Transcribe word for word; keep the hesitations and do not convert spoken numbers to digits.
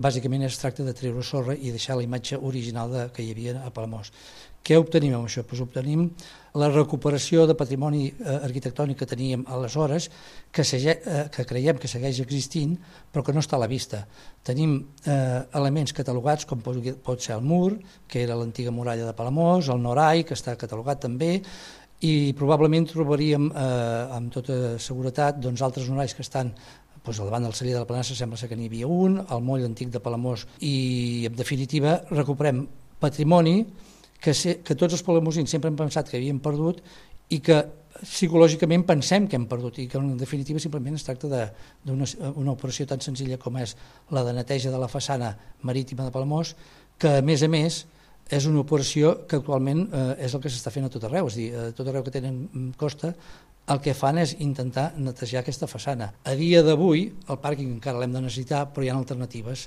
Bàsicament es tracta de treure sorra i deixar la imatge original de, que hi havia a Palamós. Què obtenim amb això? Pues obtenim la recuperació de patrimoni eh, arquitectònic que teníem aleshores, que, sege, eh, que creiem que segueix existint, però que no està a la vista. Tenim eh, elements catalogats, com pot, pot ser el mur, que era l'antiga muralla de Palamós, el Norai, que està catalogat també, i probablement trobaríem, eh, amb tota seguretat, doncs, altres norais que estan doncs, al davant del celler de la Planassa, sembla ser que n'hi havia un, el moll antic de Palamós, i en definitiva recuperem patrimoni que, se, que tots els palamosins sempre hem pensat que havíem perdut i que psicològicament pensem que hem perdut i que en definitiva simplement es tracta d'una una operació tan senzilla com és la de neteja de la façana marítima de Palamós, que a més a més és una operació que actualment eh, és el que s'està fent a tot arreu, és a dir, a tot arreu que tenen costa el que fan és intentar netejar aquesta façana. A dia d'avui el pàrquing encara l'hem de necessitar, però hi ha alternatives.